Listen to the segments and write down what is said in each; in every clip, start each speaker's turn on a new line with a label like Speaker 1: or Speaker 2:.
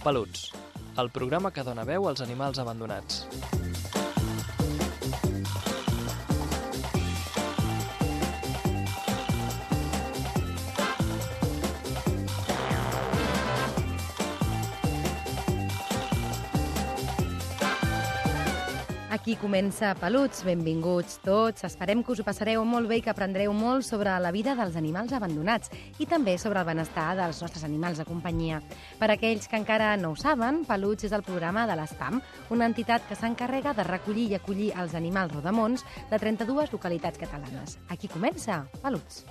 Speaker 1: Peluts, el programa que dona veu als animals abandonats.
Speaker 2: Aquí comença Peluts, benvinguts tots. Esperem que us ho passareu molt bé i que aprendreu molt sobre la vida dels animals abandonats i també sobre el benestar dels nostres animals de companyia. Per aquells que encara no ho saben, Peluts és el programa de l'ESPAM, una entitat que s'encarrega de recollir i acollir els animals rodamons de 32 localitats catalanes. Aquí comença Peluts.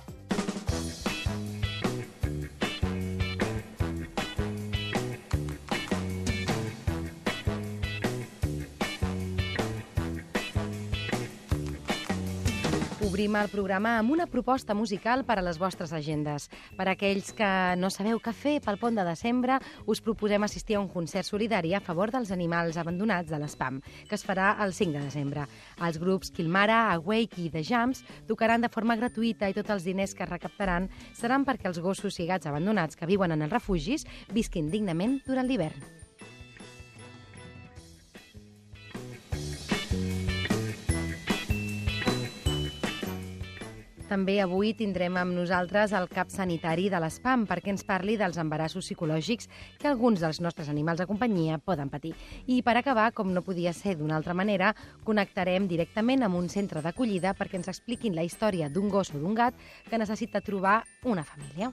Speaker 2: Obrim el programa amb una proposta musical per a les vostres agendes. Per a aquells que no sabeu què fer pel pont de desembre, us proposem assistir a un concert solidari a favor dels animals abandonats de l'ESPAM, que es farà el 5 de desembre. Els grups Kilmara, Awake i The Jams tocaran de forma gratuïta i tots els diners que recaptaran seran perquè els gossos i gats abandonats que viuen en els refugis visquin dignament durant l'hivern. També avui tindrem amb nosaltres el cap sanitari de l'ESPAM perquè ens parli dels embarassos psicològics que alguns dels nostres animals de companyia poden patir. I per acabar, com no podia ser d'una altra manera, connectarem directament amb un centre d'acollida perquè ens expliquin la història d'un gos o d'un gat que necessita trobar una família.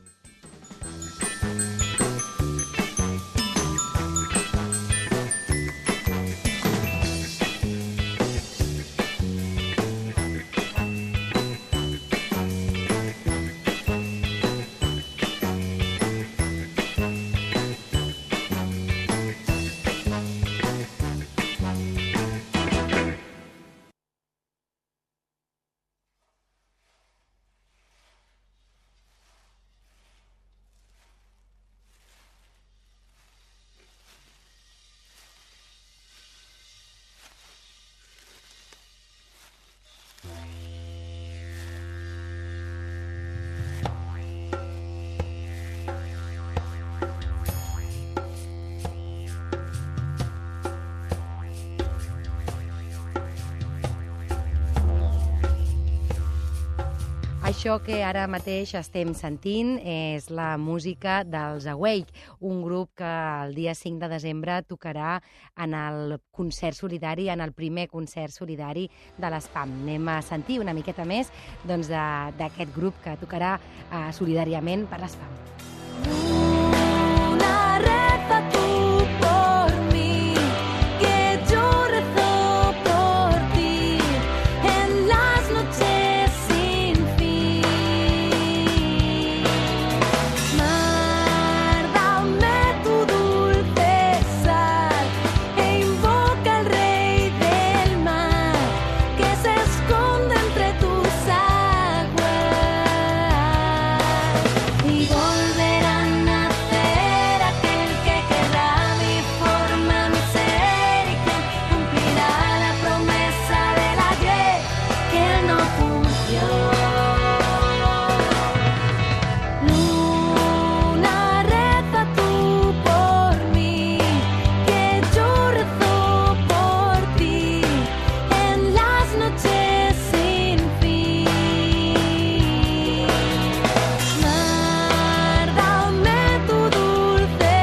Speaker 2: Això que ara mateix estem sentint és la música dels Awake, un grup que el dia 5 de desembre tocarà en el concert solidari, en el primer concert solidari de l'ESPAM. Anem a sentir una miqueta més d'aquest grup que tocarà solidàriament per l'ESPAM.
Speaker 3: Luna, reza tú por mí, que yo rezo por ti en las noches sin fin. Mar, dame tu dulce sal e invoca al rey del mar que se esconde entre tus aguas y volverá a nacer aquel que querrá mi forma, mi ser y que cumplirá la promesa del ayer que no cumplió. Luna, reza tú por mí, que yo rezo por ti en las noches sin fin. Mar, dame tu dulce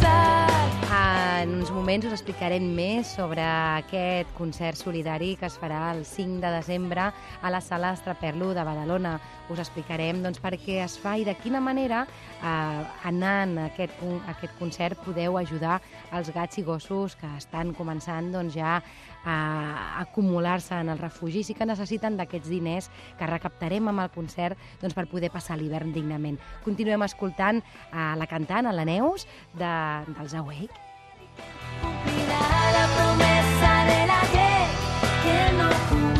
Speaker 3: sal.
Speaker 2: En uns moments us explicarem més sobre aquest concert solidari que es farà el 5 de desembre a la Sala Estraperlo de Badalona. Us explicarem per què es fa i de quina manera anant a aquest concert podeu ajudar els gats i gossos que estan començant ja a acumular-se en els refugis i que necessiten d'aquests diners que recaptarem amb el concert per poder passar l'hivern dignament. Continuem escoltant la cantant, la Neus, dels Awake.
Speaker 3: Cumplirá la promesa del ayer que no cumplió.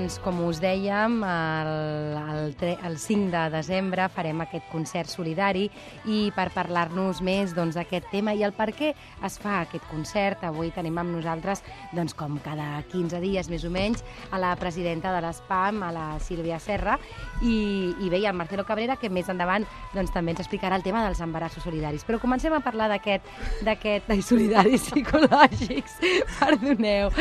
Speaker 2: Doncs, com us dèiem, el 5 de desembre farem aquest concert solidari i per parlar-nos més d'aquest tema i el per què es fa aquest concert, avui tenim amb nosaltres, doncs, com cada 15 dies més o menys, a la presidenta de l'ESPAM, a la Sílvia Serra, i bé, el Marcelo Cabrera, que més endavant també ens explicarà el tema dels embarassos solidaris. Però comencem a parlar solidaris psicològics, perdoneu.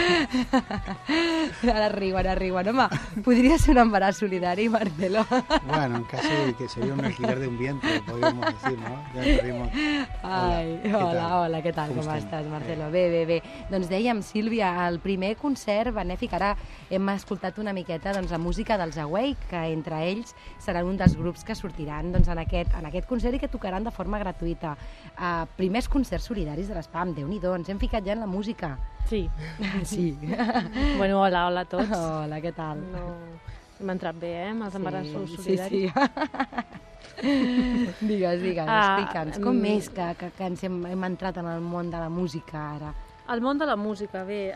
Speaker 2: Ara riuen. Home, podria ser un embaràs solidari, Marcelo?
Speaker 4: Bueno, casi que sería un alquiler de un vientre, podríamos decir, ¿no? Ya perdimos.
Speaker 2: Hola, què tal? Com estàs, Marcelo? Bé. Doncs dèiem, Sílvia, el primer concert benèfic, ara hem escoltat una miqueta la música dels Awake, que entre ells seran un dels grups que sortiran en aquest concert i que tocaran de forma gratuïta. Primers concerts solidaris de l'ESPAM, Déu-n'hi-do, ens hem ficat ja en la música.
Speaker 5: Sí.
Speaker 2: Sí.
Speaker 5: Bueno, hola a tots.
Speaker 2: Hola, què tal?
Speaker 5: Hem entrat bé, amb els embarassos solidaris.
Speaker 2: Sí. Digues, explica'ns. Com és que ens hem entrat en el món de la música ara?
Speaker 5: El món de la música, bé,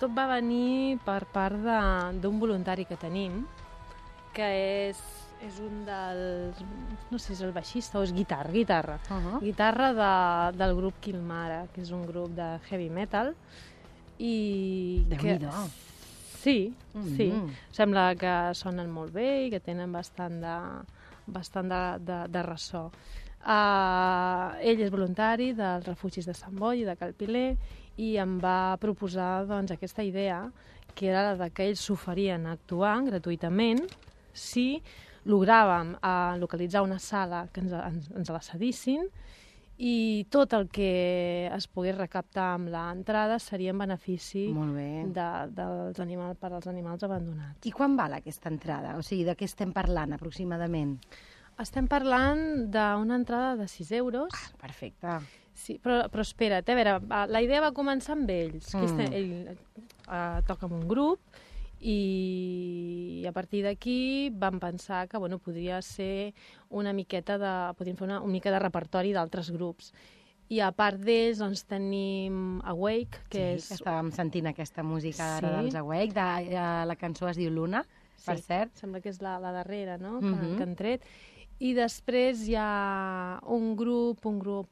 Speaker 5: tot va venir per part d'un voluntari que tenim, que és un dels... no sé si és el baixista o és guitarra. Guitarra del grup Kilmara, que és un grup de heavy metal.
Speaker 2: Déu-n'hi-do.
Speaker 5: Sí. Sembla que sonen molt bé i que tenen bastant de ressò. Ell és voluntari dels refugis de Sant Boi i de Calpiler i em va proposar aquesta idea, que era la que ells s'oferien a actuar gratuïtament si logràvem localitzar una sala que ens la cedissin i tot el que es pogués recaptar amb l'entrada seria en benefici per als animals abandonats.
Speaker 2: I quan val aquesta entrada? O sigui, de què estem parlant aproximadament?
Speaker 5: Estem parlant d'una entrada de 6 euros.
Speaker 2: Perfecte.
Speaker 5: Sí, però espera't, a veure, la idea va començar amb ells. Ell toca amb un grup i a partir d'aquí vam pensar que podria ser podríem fer una mica de repertori d'altres grups. I a part d'ells tenim Awake, que és...
Speaker 2: que estàvem sentint aquesta música dels Awake, la cançó es diu Luna, per cert.
Speaker 5: Sembla que és la darrera, no?, que han tret. I després hi ha un grup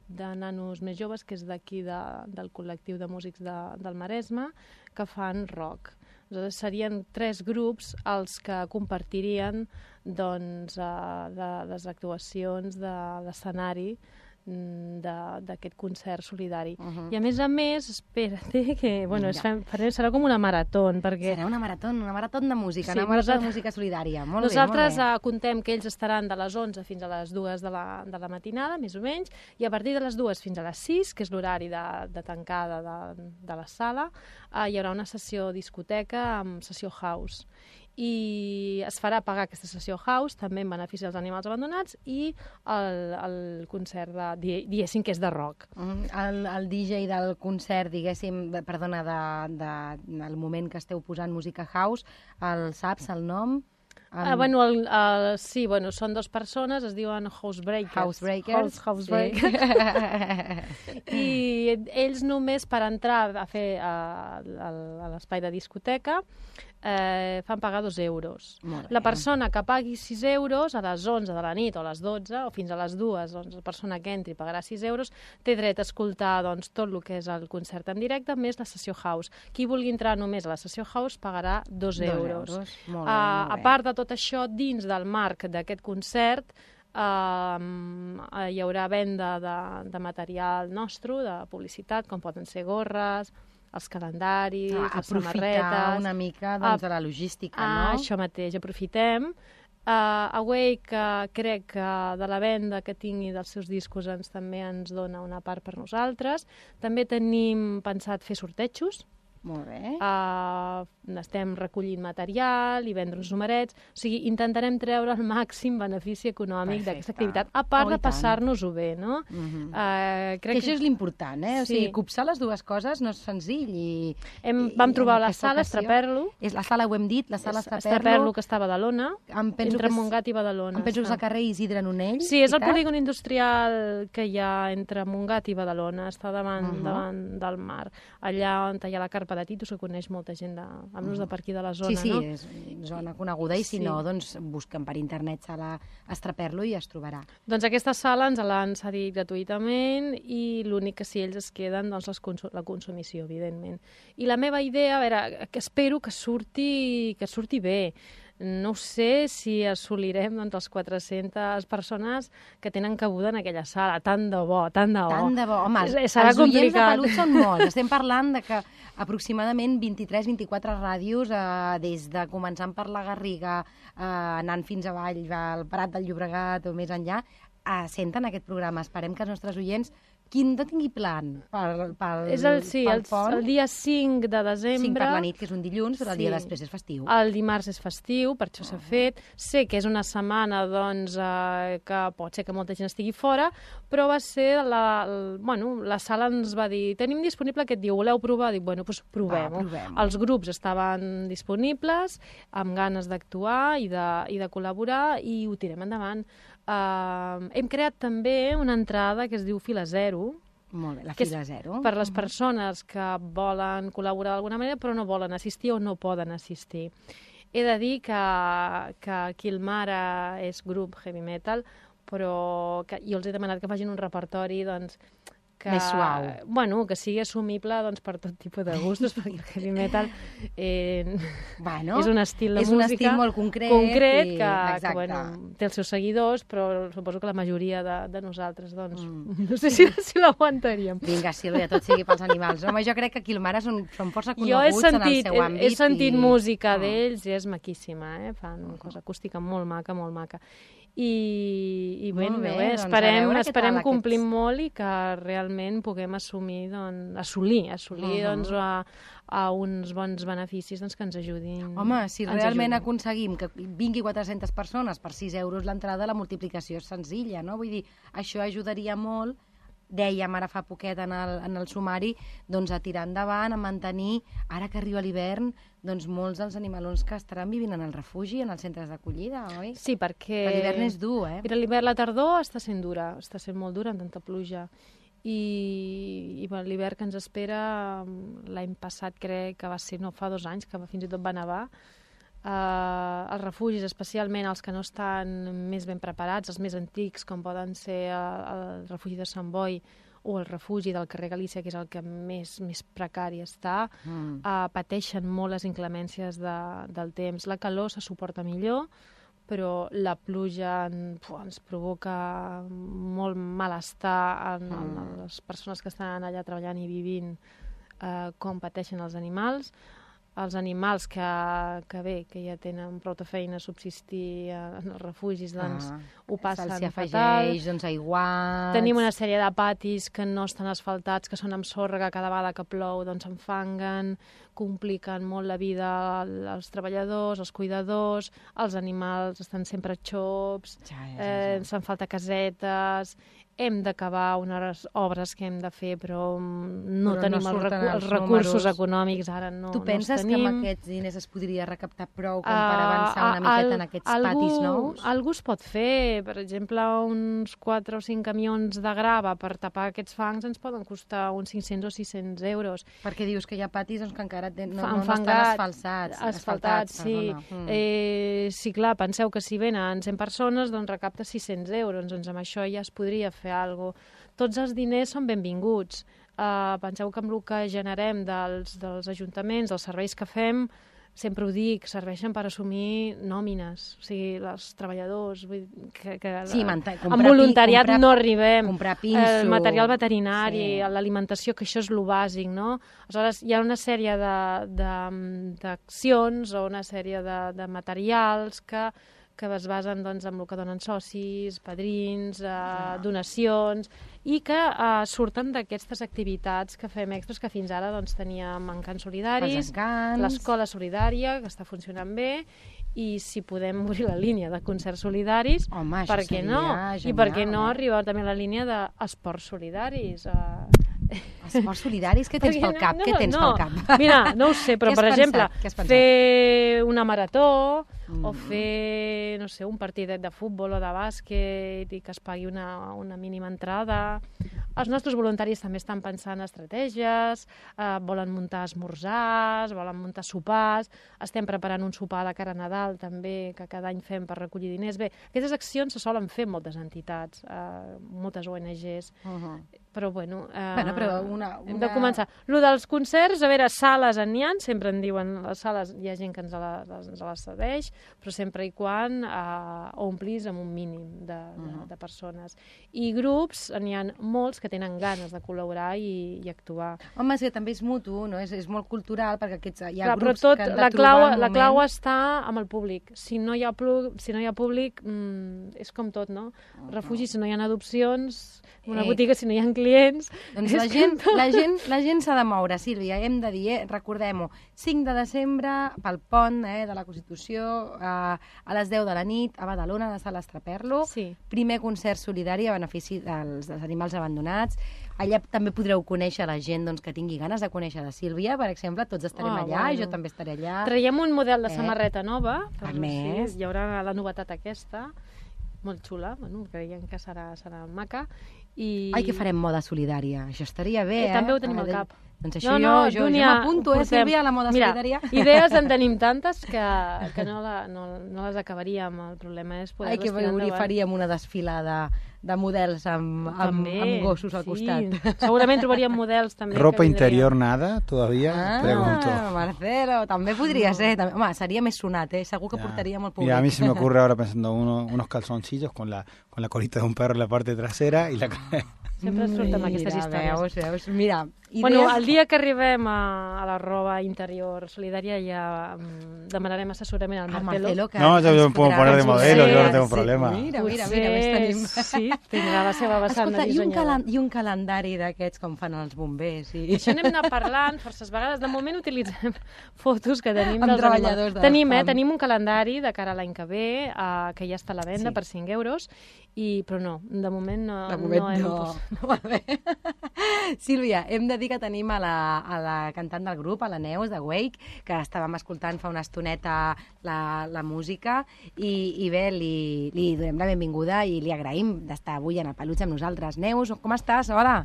Speaker 5: de nanos més joves, que és d'aquí, del col·lectiu de músics del Maresme, que fan rock. Aleshores, serien 3 grups els que compartirien les actuacions de l'escenari d'aquest concert solidari. I a més, espera't, que serà com una marató.
Speaker 2: Serà una marató de música, una marató de música solidària.
Speaker 5: Nosaltres contem que ells estaran de les 11 fins a les 2 de la matinada, més o menys, i a partir de les 2 fins a les 6, que és l'horari de tancada de la sala, hi haurà una sessió discoteca amb sessió house. I es farà pagar aquesta sessió house, també en benefici dels animals abandonats, i el concert, diguéssim, que és de rock.
Speaker 2: El DJ del concert, diguéssim, perdona, del moment que esteu posant música house, el saps, el nom?
Speaker 5: Sí, són 2 persones, es diuen Housebreakers.
Speaker 2: Housebreakers.
Speaker 5: I ells només per entrar a fer a l'espai de discoteca fan pagar 2 euros. La persona que pagui 6 euros a les 11 de la nit o a les 12 o fins a les 2, la persona que entri pagarà 6 euros, té dret a escoltar tot el que és el concert en directe, més la sessió house. Qui vulgui entrar només a la sessió house pagarà 2 euros. A part de tot això, dins del marc d'aquest concert, hi haurà venda de material nostre, de publicitat, com poden ser gorres, els calendaris, les samarretes...
Speaker 2: Aprofitar una mica de la logística, no?
Speaker 5: Això mateix, aprofitem. Awake, crec que de la venda que tingui dels seus discos també ens dona una part per nosaltres. També tenim pensat fer sortejos.
Speaker 2: Molt bé.
Speaker 5: Estem recollint material i vendre uns numerets. O sigui, intentarem treure el màxim benefici econòmic d'aquesta activitat, a part de passar-nos-ho bé, no?
Speaker 2: Crec que això és l'important, eh? O sigui, copsar les dues coses no és senzill.
Speaker 5: Vam trobar la sala Estraperlo.
Speaker 2: És la sala, ho hem dit, la sala
Speaker 5: Estraperlo, que està a Badalona, entre Montgat i Badalona.
Speaker 2: Em penso que és al carrer Isidre Nonell.
Speaker 5: Sí, és el polígon industrial que hi ha entre Montgat i Badalona, està davant del mar. Allà on hi ha la carpa Pedatitos, que coneix molta gent, almenys de per aquí de la zona,
Speaker 2: Sí,
Speaker 5: no?
Speaker 2: és zona coneguda i si
Speaker 5: Sí.
Speaker 2: no, doncs busquen per internet sala Estraperlo i es trobarà.
Speaker 5: Doncs aquesta sala ens l'han cedit gratuïtament i l'únic que si ells es queden, doncs la consumició, evidentment. I la meva idea, a veure, que espero que surti bé. No sé si assolirem doncs, les 400 persones que tenen cabuda en aquella sala. Tant de bo, tant de bo.
Speaker 2: Tant de bo. Home,
Speaker 5: Serà
Speaker 2: els oients de
Speaker 5: complicat.
Speaker 2: Pelut són molts. Estem parlant de que aproximadament 23-24 ràdios, des de començant per la Garriga, anant fins avall, al Prat del Llobregat o més enllà, senten aquest programa. Esperem que els nostres oients quin no tingui plan pel
Speaker 5: És el dia 5 de desembre.
Speaker 2: 5 per la nit, que és un dilluns, però el dia després és festiu.
Speaker 5: El dimarts és festiu, per això s'ha fet. Sé que és una setmana doncs, que pot ser que molta gent estigui fora, però va ser la sala ens va dir tenim disponible aquest dia, voleu provar? Dic, bueno, doncs provem-ho. Els grups estaven disponibles, amb ganes d'actuar i de col·laborar i ho tirem endavant. Hem creat també una entrada que es diu Fila Zero.
Speaker 2: Molt bé, la
Speaker 5: que
Speaker 2: Fila Zero.
Speaker 5: Per les persones que volen col·laborar d'alguna manera però no volen assistir o no poden assistir. He de dir que aquí el Mare és grup heavy metal, però jo els he demanat que facin un repertori doncs,
Speaker 2: més suau.
Speaker 5: Bueno, que sigui assumible doncs, per tot tipus de gustos, perquè el heavy metal és un estil de música...
Speaker 2: És un estil molt concret
Speaker 5: que bueno, té els seus seguidors, però suposo que la majoria de nosaltres doncs, no sé si l'aguantaríem.
Speaker 2: Vinga, Sílvia, tot sigui pels animals. Home, jo crec que aquí el Mare són força coneguts en el seu àmbit.
Speaker 5: He sentit música d'ells i és maquíssima, fan una cosa acústica molt maca, molt maca. I bé, esperem complir molt i que realment puguem assolir a uns bons beneficis doncs, que ens ajudin.
Speaker 2: Home, si realment aconseguim que vingui 400 persones per 6 euros l'entrada, la multiplicació és senzilla, no? Vull dir, això ajudaria molt, dèiem ara fa poquet en el sumari, doncs a tirar endavant, a mantenir, ara que arriba l'hivern, doncs molts dels animalons que estaran vivint en el refugi, en els centres d'acollida, oi?
Speaker 5: Sí, perquè...
Speaker 2: L'hivern és dur,
Speaker 5: Mira, l'hivern, la tardor està sent dura, està sent molt dura amb tanta pluja. I l'hivern que ens espera, l'any passat crec que va ser, no, fa 2 anys, que fins i tot va nevar, els refugis, especialment els que no estan més ben preparats, els més antics, com poden ser el refugi de Sant Boi o el refugi del carrer Galícia, que és el que més precari està, pateixen molt les inclemències del temps. La calor se suporta millor, però la pluja ens provoca molt malestar en les persones que estan allà treballant i vivint, com pateixen els animals. Els animals que ja tenen prou de feina a subsistir en els refugis, doncs ho passen
Speaker 2: fatal. Se'ls afegeix, doncs, aiguats...
Speaker 5: Tenim una sèrie de patis que no estan asfaltats, que són amb sorra, que cada vegada que plou doncs s'enfanguen, compliquen molt la vida als treballadors, als cuidadors, els animals estan sempre xops, ens fan falta casetes... Hem d'acabar unes obres que hem de fer, però no tenim els recursos econòmics, ara no els tenim.
Speaker 2: Tu penses que amb aquests diners es podria recaptar prou com per avançar una miqueta en aquests patis nous?
Speaker 5: Algú es pot fer. Per exemple, uns 4 o 5 camions de grava per tapar aquests fangs ens poden costar uns 500 o 600 euros.
Speaker 2: Perquè dius que hi ha patis que encara no estan asfaltats.
Speaker 5: Sí. Sí, clar, penseu que si venen 100 persones, doncs recapta 600 euros. Doncs amb això ja es podria fer alguna cosa. Tots els diners són benvinguts. Penseu que amb el que generem dels ajuntaments, dels serveis que fem, sempre ho dic, serveixen per assumir nòmines, o sigui, els treballadors, amb voluntariat no arribem, el material veterinari, l'alimentació, que això és lo bàsic, no? Aleshores, hi ha una sèrie d'accions o una sèrie de materials que es basen en el que donen socis, padrins, donacions, i que surten d'aquestes activitats que fem extras, que fins ara teníem encants solidaris, l'escola solidària, que està funcionant bé, i si podem obrir la línia de concerts solidaris, per què no? I per què no arribar també a la línia d'esports solidaris?
Speaker 2: Esports solidaris? Què tens pel cap?
Speaker 5: Mira, no ho sé, però per exemple, fer una marató o fer, no sé, un partidet de futbol o de bàsquet i que es pagui una mínima entrada, Els nostres voluntaris també estan pensant estratègies, volen muntar esmorzars, volen muntar sopars, estem preparant un sopar de cara a Nadal també, que cada any fem per recollir diners. Bé, aquestes accions se solen fer moltes entitats, moltes ONGs, però bueno,
Speaker 2: però
Speaker 5: hem de començar. Lo dels concerts, a veure, sales n'hi ha, sempre en diuen, les sales hi ha gent que ens les cedeix, però sempre i quan omplis amb un mínim de persones. I grups, n'hi ha molts que tenen ganes de col·laborar i actuar.
Speaker 2: Home, és que també és mutu, no? És molt cultural, perquè hi ha
Speaker 5: Clar,
Speaker 2: grups
Speaker 5: però
Speaker 2: que han de trobar el moment.
Speaker 5: La clau està amb el públic. Si no hi ha públic, és com tot, no? Refugi, si no hi ha adopcions, una botiga, si no hi ha clients...
Speaker 2: Doncs la gent s'ha de moure, Sílvia, hem de dir, recordem-ho, 5 de desembre, pel pont de la Constitució, a les 10 de la nit, a Badalona, a la sala Estraperlo, primer concert solidari a benefici dels animals abandonats. Allà també podreu conèixer la gent que tingui ganes de conèixer de Sílvia, per exemple, tots estarem allà, jo també estaré allà.
Speaker 5: Traiem un model de samarreta nova,
Speaker 2: a més,
Speaker 5: hi haurà la novetat aquesta, molt xula, creiem que serà maca.
Speaker 2: Ai, que farem moda solidària, això estaria bé,
Speaker 5: També ho tenim al cap.
Speaker 2: Doncs això jo m'apunto, Sílvia, a la moda solidària.
Speaker 5: Idees en tenim tantes que no les acabaríem. El problema és poder-les tirar endavant.
Speaker 2: Ai, que faríem una desfilada de models amb gossos al costat.
Speaker 5: Segurament trobaríem models també.
Speaker 6: ¿Ropa interior nada todavía? Pregunto.
Speaker 2: Marcelo, també podria ser. Home, seria més sonat, segur que portaríem el públic.
Speaker 6: Mira, a mí se me ocurre ahora pensando unos calzoncillos con la colita de un perro en la parte trasera y la...
Speaker 5: Sempre surten amb aquestes històries.
Speaker 2: Veus, mira...
Speaker 5: Bueno, el dia que arribem a la roba interior solidària ja demanarem assessorament al Marcelo.
Speaker 6: No, yo me puedo poner de modelo, yo no tengo problema.
Speaker 2: Mira, tenim.
Speaker 5: Sí, tindrà la seva vessant de dissenyador.
Speaker 2: I un calendari d'aquests com fan els bombers.
Speaker 5: Això n'hem anat parlant forces vegades. De moment utilitzem fotos que tenim
Speaker 2: dels treballadors.
Speaker 5: Tenim un calendari de cara a l'any que ve, que ja està a la venda per 5 euros, però no, de moment no. De moment
Speaker 2: no. Sílvia, hem de dir que tenim a la cantant del grup, a la Neus, de Wake, que estàvem escoltant fa una estoneta la música, i bé, li donem la benvinguda i li agraïm d'estar avui en el Peluig amb nosaltres. Neus, com estàs? Hola!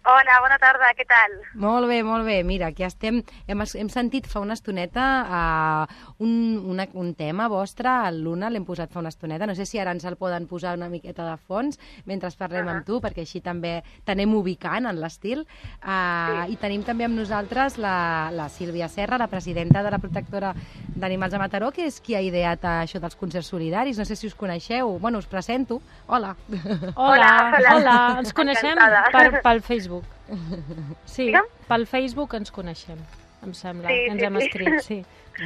Speaker 7: Hola, bona tarda, què tal?
Speaker 2: Molt bé, molt bé. Mira, aquí estem. Hem sentit fa una estoneta un tema vostre, el Luna, l'hem posat fa una estoneta. No sé si ara ens el poden posar una miqueta de fons mentre parlem amb tu, perquè així també t'anem ubicant en l'estil. I tenim també amb nosaltres la Sílvia Serra, la presidenta de la Protectora d'Animals de Mataró, que és qui ha ideat això dels concerts solidaris. No sé si us coneixeu. Bueno, us presento. Hola.
Speaker 5: Hola. Ens coneixem pel Facebook. Sí, pel Facebook ens coneixem, em sembla. Ens hem escrit, sí.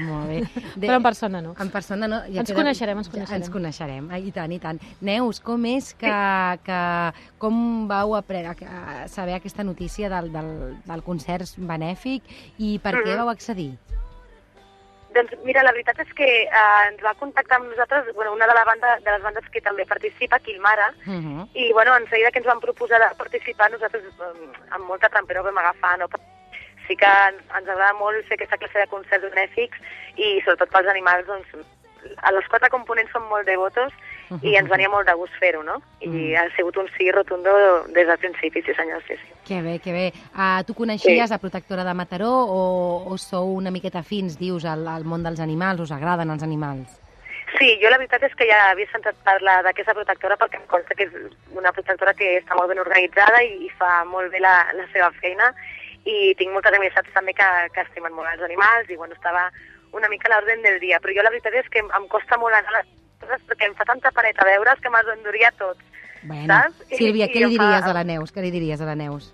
Speaker 2: Molt bé.
Speaker 5: Però en persona no.
Speaker 2: En persona no.
Speaker 5: Ens coneixerem.
Speaker 2: Ens coneixerem, i tant, i tant. Neus, com és com vau saber aquesta notícia del concert benèfic i per què vau accedir?
Speaker 7: Doncs mira, la veritat és que ens va contactar amb nosaltres una de les bandes que també participa, Quilmara, i en seguida que ens van proposar de participar, nosaltres amb molta tempera vam agafar, no? Sí que ens agrada molt fer aquesta classe de concerts benèfics i sobretot pels animals, doncs, els 4 components són molt devotos i ens venia molt de gust fer-ho, no? I ha sigut un sí rotundo des del principi, sí senyor, sí.
Speaker 2: Que bé, que bé. Tu coneixies la Protectora de Mataró o sou una miqueta fins, dius, al món dels animals? Us agraden els animals?
Speaker 7: Sí, jo la veritat és que ja havia sentit parlar d'aquesta protectora perquè em consta que és una protectora que està molt ben organitzada i fa molt bé la seva feina i tinc moltes amistats també que estimen molt els animals i estava una mica a l'ordre del dia, però jo la veritat és que em costa molt anar a les coses perquè em fa tanta paneta veure's que me'ls enduria tots.
Speaker 2: Bueno, Sílvia, què li diries a la Neus? Què li diries a la Neus?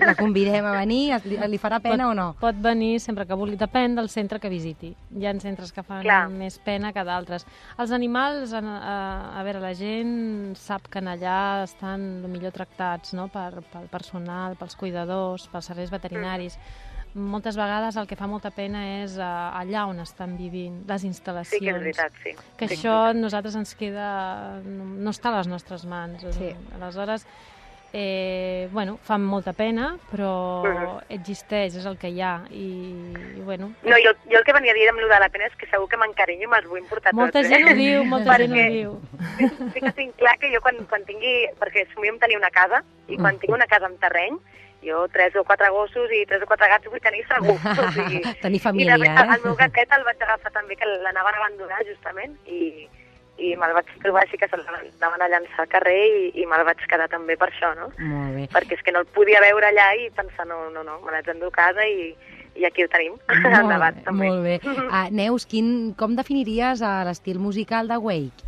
Speaker 2: La convidem a venir? Li farà pena o no?
Speaker 5: Pot venir sempre que vulgui. Depèn del centre que visiti. Hi ha centres que fan més pena que d'altres. Els animals, a veure, la gent sap que allà estan millor tractats, no? Pel personal, pels cuidadors, pels serveis veterinaris. Moltes vegades el que fa molta pena és allà on estan vivint, les instal·lacions.
Speaker 7: Sí, que és veritat, sí.
Speaker 5: Que això a nosaltres ens queda... no està a les nostres mans.
Speaker 2: Sí.
Speaker 5: Aleshores, Bueno, fa molta pena, però existeix, és el que hi ha. I bueno...
Speaker 7: No, jo el que venia a dir amb lo de la pena és que segur que m'encarinyo i me'ls vull emportar tots.
Speaker 5: Molta gent ho diu, molta gent ho diu.
Speaker 7: Sí que tinc clar que jo quan tingui... Perquè somiem tenir una casa, i quan tinc una casa amb terreny, jo 3 o 4 gossos i 3 o 4 gats vull tenir segur. O sigui,
Speaker 2: tenir família,
Speaker 7: el meu gatet el vaig agafar també, que l'anaven a abandonar, justament, i me'l vaig trobar així que se'l anaven a llançar al carrer i me'l vaig quedar també per això, no?
Speaker 2: Molt bé.
Speaker 7: Perquè és que no el podia veure allà i pensar, no, me l'haig d'endur a casa i aquí ho tenim, al debat també.
Speaker 2: Molt bé. Neus, com definiries l'estil musical de Wake?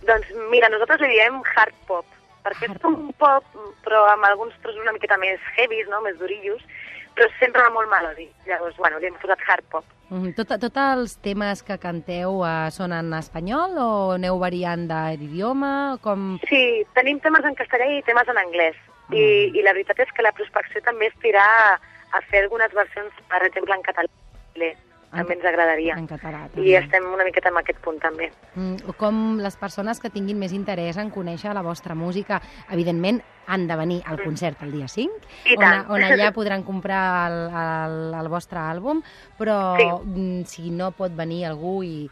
Speaker 7: Doncs mira, nosaltres li diem hard pop, perquè és com un pop, però amb alguns trossos una miqueta més heavies, no? Més durillos, però sempre molt melòdic. Llavors, bueno, li hem posat hard pop.
Speaker 2: Tots els temes que canteu són en espanyol o aneu variant d'idioma?
Speaker 7: Sí, tenim temes en castellà i temes en anglès. I la veritat és que la prospecció també és tirar a fer algunes versions, per exemple, en català. També ens agradaria.
Speaker 2: En català, també.
Speaker 7: I estem una miqueta en aquest punt, també.
Speaker 2: Com les persones que tinguin més interès en conèixer la vostra música, evidentment, han de venir al concert el dia 5, on allà podran comprar el vostre àlbum, però si no pot venir algú i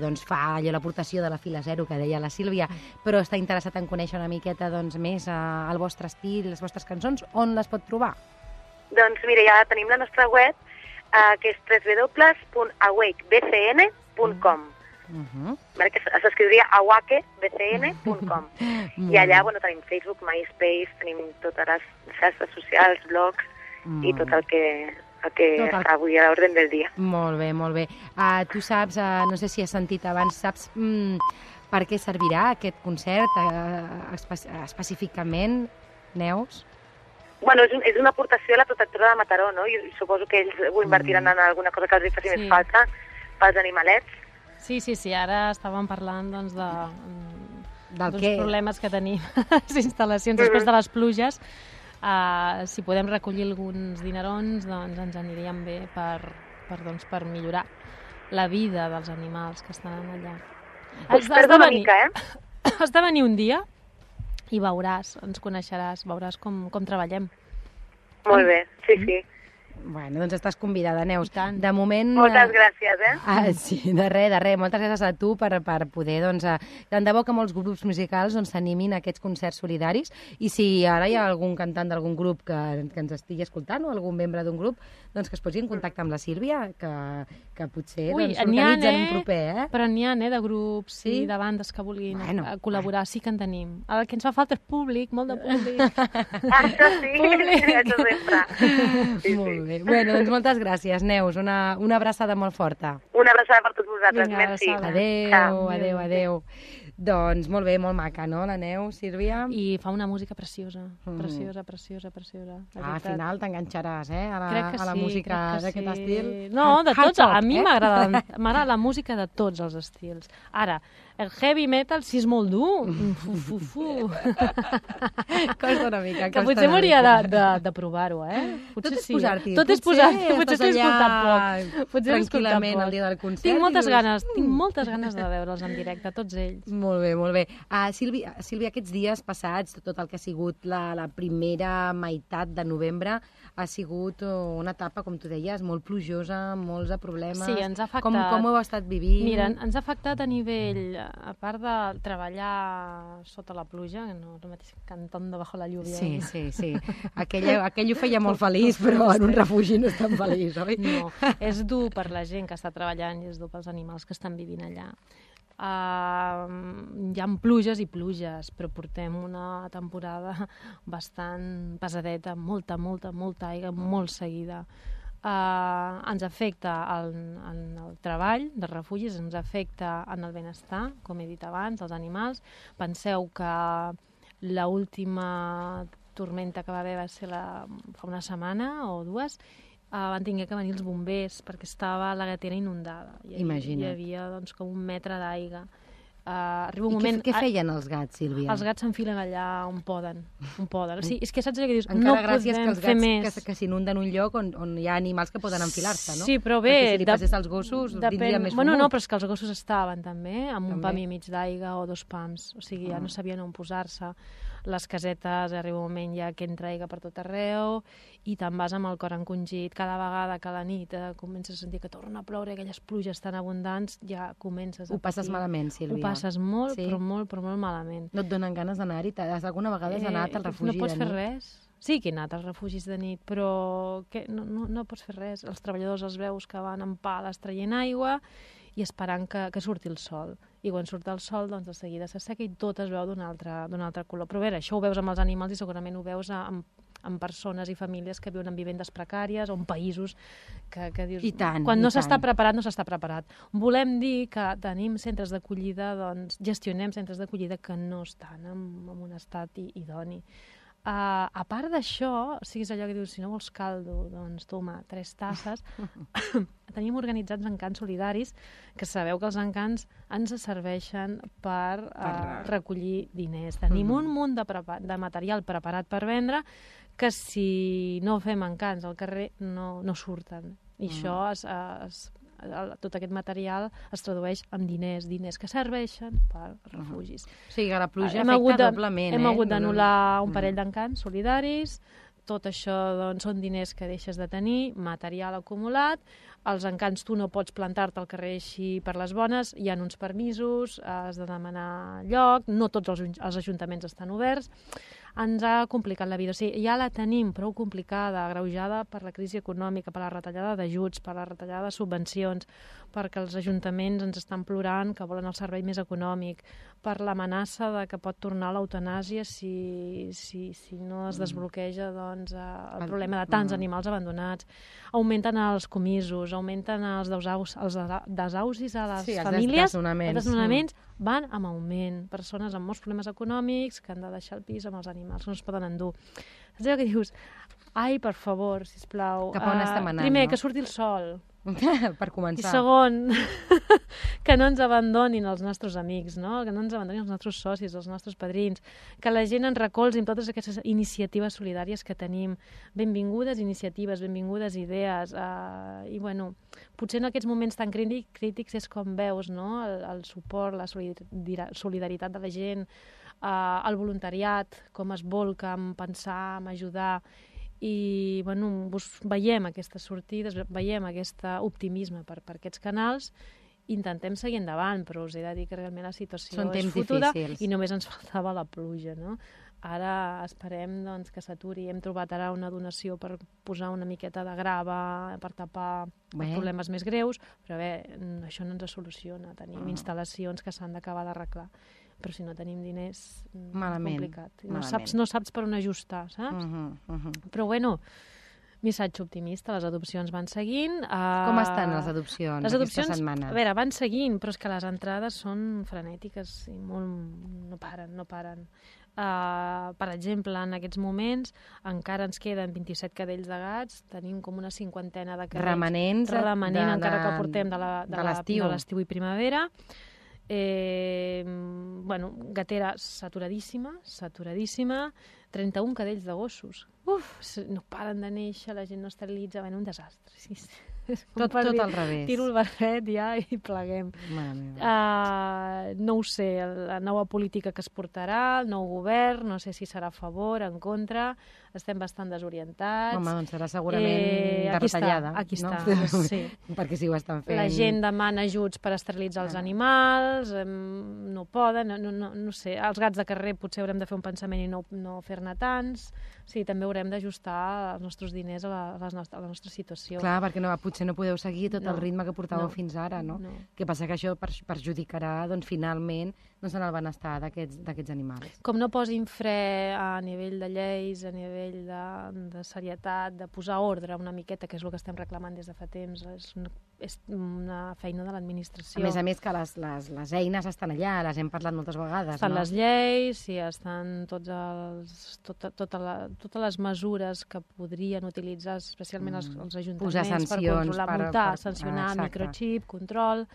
Speaker 2: doncs fa allò l'aportació de la fila zero que deia la Sílvia, però està interessat en conèixer una miqueta més el vostre estil, les vostres cançons, on les pot trobar?
Speaker 7: Doncs mira, ja tenim la nostra web, que és www.awakebcn.com. Que s'escriuria awakebcn.com. I allà tenim Facebook, MySpace, tenim totes les xarxes socials, blogs i tot el que està avui a l'ordre del dia.
Speaker 2: Molt bé, molt bé. Tu saps, no sé si has sentit abans, saps per què servirà aquest concert específicament, Neus?
Speaker 7: Bueno, és una aportació a la protectora de Mataró, no? I suposo que ells ho invertiran en alguna cosa que els faci més falta pels animalets.
Speaker 5: Sí, ara estàvem parlant doncs, dels problemes que tenim a les instal·lacions després de les pluges. Si podem recollir alguns dinerons, doncs ens aniríem bé per millorar la vida dels animals que estan allà.
Speaker 7: Us perdo una mica,
Speaker 5: Has de venir un dia i veuràs, ens coneixeràs, veuràs com treballem.
Speaker 7: Molt bé, sí.
Speaker 2: Bueno, doncs estàs convidada, Neus. De moment...
Speaker 7: Moltes gràcies,
Speaker 2: Sí, de res. Moltes gràcies a tu per poder, doncs... Tant de bo que molts grups musicals s'animin a aquests concerts solidaris, i si ara hi ha algun cantant d'algun grup que ens estigui escoltant, o algun membre d'un grup, doncs que es posi en contacte amb la Sílvia, que potser s'organitzen un proper,
Speaker 5: Però n'hi ha, de grups i de bandes que vulguin col·laborar. Sí que en tenim. El que ens fa falta és públic, molt de públic.
Speaker 7: Això sí, això sempre.
Speaker 2: Molt bé. Bueno, doncs moltes gràcies, Neus. Una abraçada molt forta.
Speaker 7: Una abraçada per tots vosaltres.
Speaker 5: Vinga,
Speaker 7: merci.
Speaker 2: Adéu. Doncs molt bé, molt maca, no, la Neus, Sílvia?
Speaker 5: I fa una música preciosa, preciosa.
Speaker 2: Al final t'enganxaràs, a la música d'aquest estil.
Speaker 5: No, de tots. A mi m'agrada la música de tots els estils. Ara, el heavy metal sí és molt dur.
Speaker 2: Costa una mica.
Speaker 5: Que potser m'hauria de provar-ho,
Speaker 2: Tot és posar-t'hi.
Speaker 5: Potser t'he escoltat poc.
Speaker 2: Tranquil·lament el dia del concert.
Speaker 5: Tinc moltes ganes de veure'ls en directe, tots ells.
Speaker 2: Molt bé. Sílvia, aquests dies passats, tot el que ha sigut la primera meitat de novembre, ha sigut una etapa, com tu deies, molt plujosa, molts de problemes.
Speaker 5: Sí, ens ha afectat.
Speaker 2: Com ho heu estat vivint?
Speaker 5: Mira, ens ha afectat a nivell, a part de treballar sota la pluja, que no és el mateix cantando bajo la lluvia.
Speaker 2: Sí. Aquell ho feia molt feliç, però en un refugi no és tan feliç, oi?
Speaker 5: No, és dur per la gent que està treballant i és dur pels animals que estan vivint allà. Hi ha pluges i pluges, però portem una temporada bastant pesadeta, molta aigua, molt seguida. Ens afecta en el treball dels refugis, ens afecta en el benestar, com he dit abans, els animals. Penseu que l'última tormenta que va haver va ser fa una setmana o dues, van haver que venir els bombers perquè estava la gatera inundada.
Speaker 2: Imagina't.
Speaker 5: Hi havia com 1 metre d'aigua. arriba un
Speaker 2: I
Speaker 5: moment...
Speaker 2: què feien els gats, Sílvia?
Speaker 5: Els gats s'enfilen allà on poden. O sigui, és que saps allò que dius,
Speaker 2: Encara
Speaker 5: no
Speaker 2: gràcies
Speaker 5: podem
Speaker 2: que els
Speaker 5: fer
Speaker 2: gats
Speaker 5: més.
Speaker 2: que s'inunden un lloc on hi ha animals que poden enfilar-se, no?
Speaker 5: Sí, però bé...
Speaker 2: Perquè si li passés als gossos, vindria més
Speaker 5: Bueno,
Speaker 2: fumut.
Speaker 5: no, però és que els gossos estaven també, amb un
Speaker 2: També.
Speaker 5: pam i mig d'aigua o 2 pams. O sigui, ja no sabien on posar-se. Les casetes, arriba un moment ja que entra aigua per tot arreu i te'n vas amb el cor encongit. Cada vegada que a la nit comences a sentir que torna a ploure, aquelles pluges tan abundants, ja comences a
Speaker 2: Ho passes
Speaker 5: patir.
Speaker 2: malament, Sílvia.
Speaker 5: Ho passes molt,
Speaker 2: Sí.
Speaker 5: però molt malament.
Speaker 2: No et donen ganes d'anar-hi? Alguna vegada has anat al refugi
Speaker 5: no pots
Speaker 2: de
Speaker 5: fer
Speaker 2: nit?
Speaker 5: res. Sí que he anat als refugis de nit, però no pots fer res. Els treballadors els veus que van amb pales traient aigua i esperant que surti el sol. I quan surt el sol, doncs de seguida s'asseca i tot es veu d'un altre color. Però bé, això ho veus amb els animals i segurament ho veus amb persones i famílies que viuen en vivendes precàries o en països que dius...
Speaker 2: I tant,
Speaker 5: quan
Speaker 2: i
Speaker 5: no
Speaker 2: tant.
Speaker 5: s'està preparat, no s'està preparat. Volem dir que tenim centres d'acollida, doncs gestionem centres d'acollida que no estan en un estat idoni. A part d'això, o sigui, és allò que dius, si no vols caldo, doncs toma 3 tasses. Tenim organitzats encants solidaris, que sabeu que els encants ens serveixen per recollir diners. Tenim un munt de material preparat per vendre que si no fem encants al carrer no surten. I això tot aquest material es tradueix en diners que serveixen per refugis.
Speaker 2: O sigui que la pluja afecta doblement.
Speaker 5: Hem hagut d'anul·lar un parell d'encants solidaris, tot això doncs, són diners que deixes de tenir, material acumulat, els encants tu no pots plantar-te al carrer així per les bones, hi ha uns permisos, has de demanar lloc, no tots els ajuntaments estan oberts, ens ha complicat la vida. O sigui, ja la tenim prou complicada, agreujada per la crisi econòmica, per la retallada d'ajuts, per la retallada de subvencions, perquè els ajuntaments ens estan plorant que volen el servei més econòmic, per l'amenaça de que pot tornar l'eutanàsia si no es desbloqueja doncs, el problema de tants animals abandonats. Augmenten els comisos, augmenten els desaucis a les famílies. Els desnonaments van amb augment. Persones amb molts problemes econòmics que han de deixar el pis amb els animals, que no es poden endur. Saps allò que dius? Ai, per favor, sisplau.
Speaker 2: Cap a on estem anant,
Speaker 5: primer,
Speaker 2: no?
Speaker 5: que surti el sol.
Speaker 2: Per començar.
Speaker 5: I segon, que no ens abandonin els nostres amics, no? Que no ens abandonin els nostres socis, els nostres padrins, que la gent ens recolzi amb totes aquestes iniciatives solidàries que tenim. Benvingudes iniciatives, benvingudes idees. I, bueno, potser en aquests moments tan crítics és com veus, no? El suport, la solidaritat de la gent, el voluntariat, com es volca en pensar, en ajudar. I bueno, veiem aquestes sortides, veiem aquest optimisme per aquests canals, intentem seguir endavant, però us he de dir que realment la situació és fotuda i només ens faltava la pluja, no? Ara esperem doncs, que s'aturi. Hem trobat ara una donació per posar una miqueta de grava per tapar problemes més greus, però bé, això no ens soluciona. Tenim instal·lacions que s'han d'acabar d'arreglar. Però si no tenim diners, complicat. No saps per on ajustar, saps? Però bueno, missatge optimista, les adopcions van seguint.
Speaker 2: Com estan les adopcions aquesta setmana?
Speaker 5: A veure, van seguint, però és que les entrades són frenètiques i no paren. Per exemple, en aquests moments encara ens queden 27 cadells de gats, tenim com una 50ena de cadells
Speaker 2: remanent
Speaker 5: encara que portem de l'estiu i primavera. Gatera saturadíssima, 31 cadells de gossos. No paren de néixer, la gent no esterilitza, un desastre. Sí.
Speaker 2: Tot al revés.
Speaker 5: Tiro el barret ja i pleguem. No ho sé, la nova política que es portarà, el nou govern, no sé si serà a favor, en contra, estem bastant desorientats.
Speaker 2: Home, doncs serà segurament de retallada.
Speaker 5: Aquí està, sí.
Speaker 2: Perquè si ho estan fent...
Speaker 5: La gent demana ajuts per esterilitzar els animals, no poden, no sé, els gats de carrer potser haurem de fer un pensament i no fer-ne tants. Sí, també haurem d'ajustar els nostres diners a la nostra situació.
Speaker 2: Clar, perquè potser no podeu seguir tot el ritme que portàveu fins ara, no? Que passa que això perjudicarà, doncs, finalment, en el benestar d'aquests animals.
Speaker 5: Com no posin fre a nivell de lleis, a nivell de serietat, de posar ordre una miqueta, que és el que estem reclamant des de fa temps, és una feina de l'administració.
Speaker 2: A més que les eines estan allà, les hem parlat moltes vegades,
Speaker 5: estan les lleis, sí, estan totes les mesures que podrien utilitzar, especialment els ajuntaments,
Speaker 2: posar sancions,
Speaker 5: per controlar, multar, sancionar, microxip, control...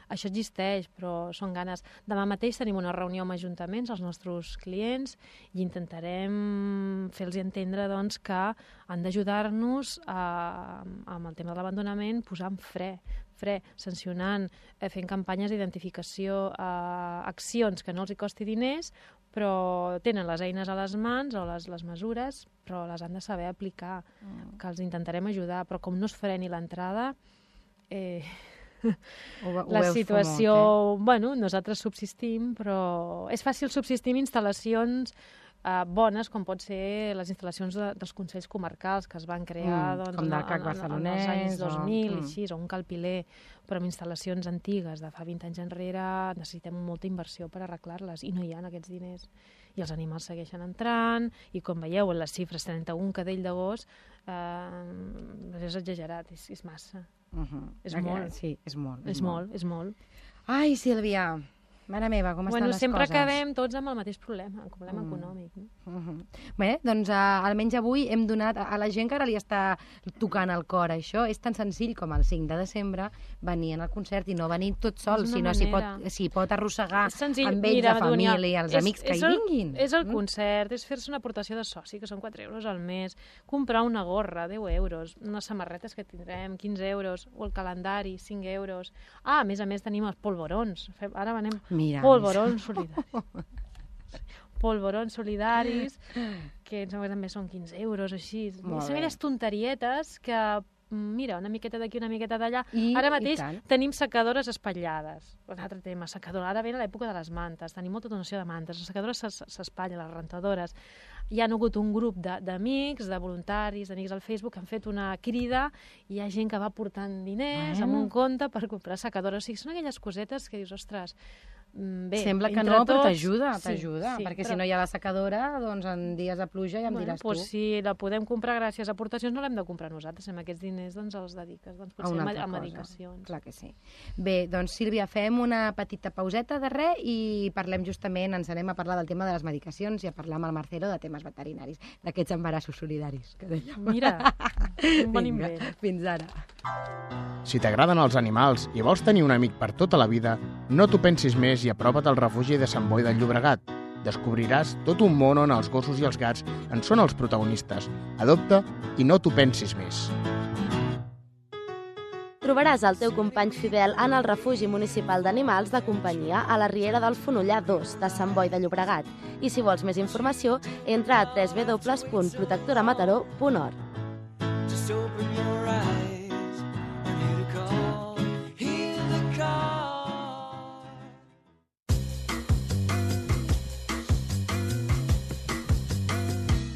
Speaker 5: això existeix, però són ganes. Demà mateix tenim una reunió amb ajuntaments, els nostres clients, i intentarem fer-los entendre doncs, que han d'ajudar-nos amb el tema de l'abandonament, posant fre, sancionant, fent campanyes d'identificació, accions que no els hi costi diners, però tenen les eines a les mans o les mesures, però les han de saber aplicar, que els intentarem ajudar, però com no es freni l'entrada, la situació... Bueno, nosaltres subsistim, però és fàcil subsistir amb instal·lacions bones, com pot ser les instal·lacions dels Consells Comarcals que es van crear
Speaker 2: com del CAC barcelonès,
Speaker 5: als anys 2000 i així, o un Calpiler, però amb instal·lacions antigues de fa 20 anys enrere necessitem molta inversió per arreglar-les i no hi ha aquests diners. I els animals segueixen entrant i com veieu en les xifres 31 cadell de gos és exagerat, és massa. És molt.
Speaker 2: Sí, és molt.
Speaker 5: És molt.
Speaker 2: Ai, Sílvia, mare meva, com estan les
Speaker 5: sempre
Speaker 2: coses?
Speaker 5: acabem tots amb el mateix problema, el problema econòmic. No?
Speaker 2: Bé, doncs almenys avui hem donat a la gent que ara li està tocant el cor això. És tan senzill com el 5 de desembre venir al concert i no venir tot sol, sinó si pot arrossegar amb ells, la família, els amics que hi vinguin.
Speaker 5: És el concert, és fer-se una aportació de soci, que són 4 euros al mes, comprar una gorra, 10 euros, unes samarretes que tindrem, 15 euros, o el calendari, 5 euros. A més tenim els polvorons. Ara venem polvorons solidaris. Polvorons solidaris, que em sembla que també són 15 euros, així. Són aquelles tonterietes que, mira, una miqueta d'aquí, una miqueta d'allà. Ara mateix tenim secadores espatllades. Un altre tema, secadora. Ara ve l'època de les mantes, tenim molta donació de mantes. Les secadores s'espatllen, les rentadores. Hi ha hagut un grup d'amics, de voluntaris, d'amics al Facebook, que han fet una crida i hi ha gent que va portant diners amb un compte per comprar secadores. O sigui, són aquelles cosetes que dius, ostres, bé,
Speaker 2: sembla que no, però t'ajuda, perquè si no hi ha la secadora, doncs en dies de pluja ja em diràs tu.
Speaker 5: Si la podem comprar gràcies a aportacions, no l'hem de comprar nosaltres, amb aquests diners doncs els dediques, doncs potser a medicacions.
Speaker 2: Clar que sí. Bé, doncs Sílvia, fem una petita pauseta de res i parlem justament, ens anem a parlar del tema de les medicacions i a parlar amb el Marcelo de temes veterinaris, d'aquests embarassos solidaris que dèiem.
Speaker 5: Mira, un bon invent.
Speaker 2: Fins ara.
Speaker 8: Si t'agraden els animals i vols tenir un amic per tota la vida, no t'ho pensis més i apropa't al refugi de Sant Boi de Llobregat. Descobriràs tot un món on els gossos i els gats en són els protagonistes. Adopta i no t'ho pensis més.
Speaker 9: Trobaràs el teu company fidel en el refugi municipal d'animals de companyia a la Riera del Fonollar 2 de Sant Boi de Llobregat. I si vols més informació, entra a www.protectoramataró.org.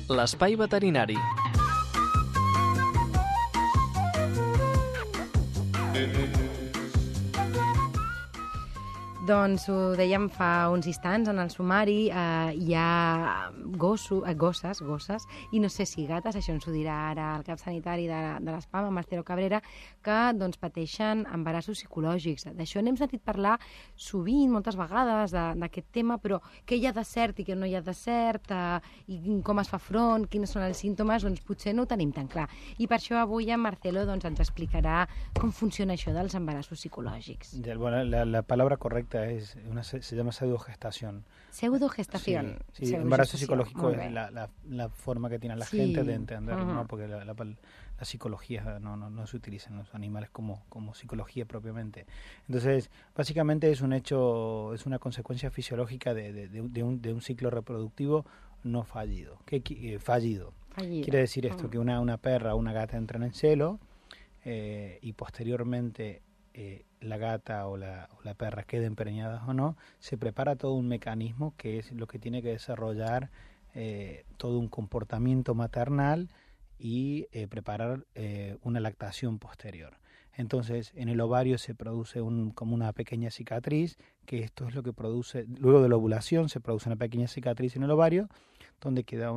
Speaker 1: L'espai veterinari.
Speaker 2: Doncs ho dèiem fa uns instants, en el sumari hi ha gosses, i no sé si gates, això ens ho dirà ara el cap sanitari de l'ESPAM, Marcelo Cabrera, que doncs, pateixen embarassos psicològics. D'això n'hem sentit parlar sovint, moltes vegades, d'aquest tema, però què hi ha de cert i què no hi ha de cert, i com es fa front, quins són els símptomes, doncs potser no ho tenim tan clar. I per això avui en Marcelo doncs, ens explicarà com funciona això dels embarassos psicològics.
Speaker 6: Bueno, la palabra correcta se llama pseudogestación.
Speaker 2: Pseudogestación.
Speaker 6: Sí, embarazo psicológico es la forma que tiene la gente de entender, ¿no? Porque la psicología no se utiliza en los animales como psicología propiamente. Entonces, básicamente es un hecho, es una consecuencia fisiológica de un ciclo reproductivo no fallido. Fallido. Quiere decir esto, que una perra o una gata entran en celo y posteriormente la gata o la perra queden preñadas o no, se prepara todo un mecanismo que es lo que tiene que desarrollar todo un comportamiento maternal y preparar una lactación posterior. Entonces, en el ovario se produce como una pequeña cicatriz, que esto es lo que produce, luego de la ovulación se produce una pequeña cicatriz en el ovario, donde queda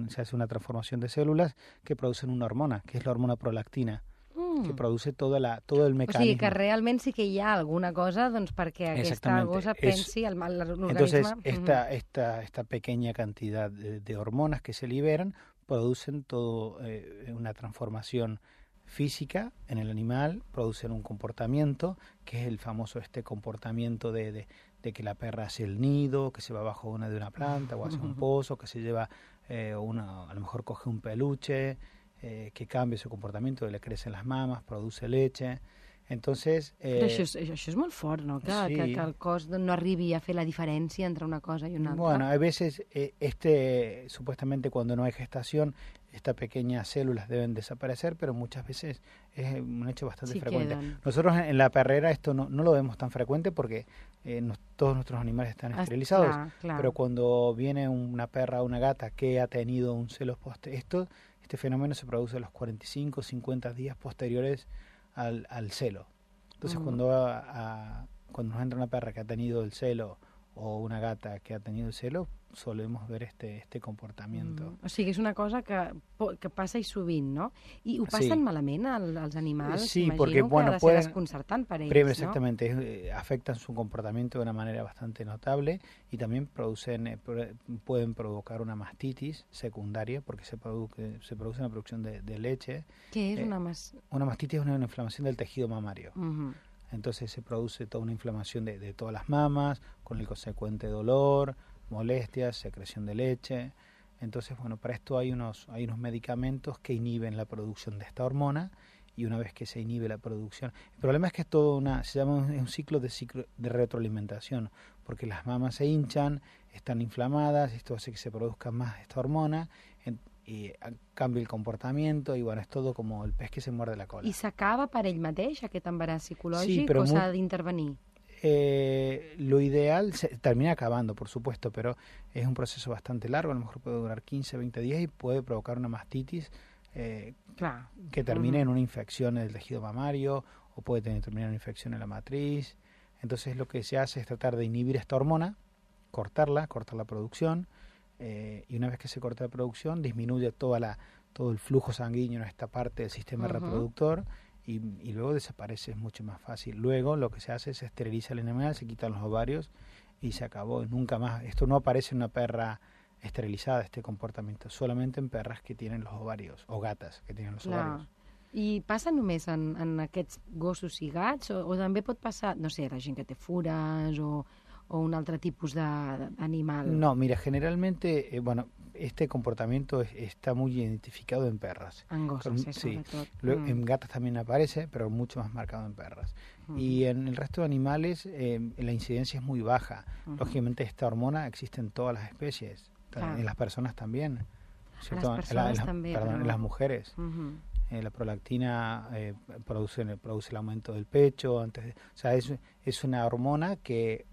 Speaker 6: se hace una transformación de células que producen una hormona, que es la hormona prolactina, que produce todo el mecanismo.
Speaker 2: O sigui que realment sí que hi ha alguna cosa doncs, perquè aquesta gossa pensi al l'organisme.
Speaker 6: Entonces, esta pequeña cantidad de hormonas que se liberan producen todo una transformación física en el animal, producen un comportamiento, que es el famoso comportamiento de que la perra hace el nido, que se va abajo de una planta o hace un pozo, que se lleva a lo mejor coge un peluche, que cambia su comportamiento, le crecen las mamas, produce leche. Entonces,
Speaker 2: Però això és molt fort, no? Que el cos no arribi a fer la diferència entre una cosa y una altra.
Speaker 6: Bueno, a veces supuestamente cuando no hay gestación, estas pequeñas células deben desaparecer, pero muchas veces es un hecho bastante frecuente.
Speaker 2: Quedan.
Speaker 6: Nosotros en la perrera esto no lo vemos tan frecuente porque todos nuestros animales están esterilizados,
Speaker 2: Clar.
Speaker 6: pero cuando viene una perra o una gata que ha tenido un celo este fenómeno se produce a los 45 o 50 días posteriores al celo. Entonces cuando nos entra una perra que ha tenido el celo o una gata que ha tenido el celo, solemos ver este comportamiento.
Speaker 2: O sigui, és una cosa que passa i sovint, no? I ho passen malament als animals?
Speaker 6: Sí,
Speaker 2: imagino
Speaker 6: porque
Speaker 2: que ha de ser desconcertant per ells,
Speaker 6: exactamente, afectan su comportamiento de una manera bastante notable y también pueden provocar una mastitis secundaria porque se produce una producción de leche.
Speaker 2: ¿Qué es una mastitis?
Speaker 6: Una mastitis es una inflamación del tejido mamario. Entonces se produce toda una inflamación de todas las mamas, con el consecuente dolor, molestias, secreción de leche. Entonces, bueno, para esto hay unos medicamentos que inhiben la producción de esta hormona, y una vez que se inhibe la producción, el problema es que es todo se llama un ciclo de retroalimentación, porque las mamas se hinchan, están inflamadas, esto hace que se produzca más esta hormona, y cambia el comportamiento, y bueno, es todo como el pez que se muerde la cola.
Speaker 2: I s'acaba per ell mateix, aquest embaràs psicològic,
Speaker 6: sí,
Speaker 2: o s'ha d'intervenir?
Speaker 6: Lo ideal se termina acabando, por supuesto, pero es un proceso bastante largo, a lo mejor puede durar 15, 20 días y puede provocar una mastitis que termine en una infección en el tejido mamario, o puede terminar en una infección en la matriz. Entonces lo que se hace es tratar de inhibir esta hormona, cortar la producción, y una vez que se corta la producción disminuye todo el flujo sanguíneo en esta parte del sistema reproductor, y luego desaparece, es mucho más fácil. Luego lo que se hace es esteriliza el animal, se quitan los ovarios y se acabó, nunca más. Esto no aparece en una perra esterilizada, este comportamiento, solamente en perras que tienen los ovarios, o gatas que tienen los ovarios.
Speaker 2: I passa només en aquests gossos i gats, o també pot passar, no sé, la gent que té fures o un altre tipus d'animal?
Speaker 6: No, mira, generalmente, este comportamiento está muy identificado en perras.
Speaker 2: En gossos,
Speaker 6: sí.
Speaker 2: sobretot.
Speaker 6: En gatas también aparece, pero mucho más marcado en perras. Y en el resto de animales la incidencia es muy baja. Lógicamente esta hormona existe en todas las especies, en las personas también.
Speaker 2: ¿Cierto?
Speaker 6: En las mujeres. La prolactina produce el aumento del pecho. O sea, es una hormona que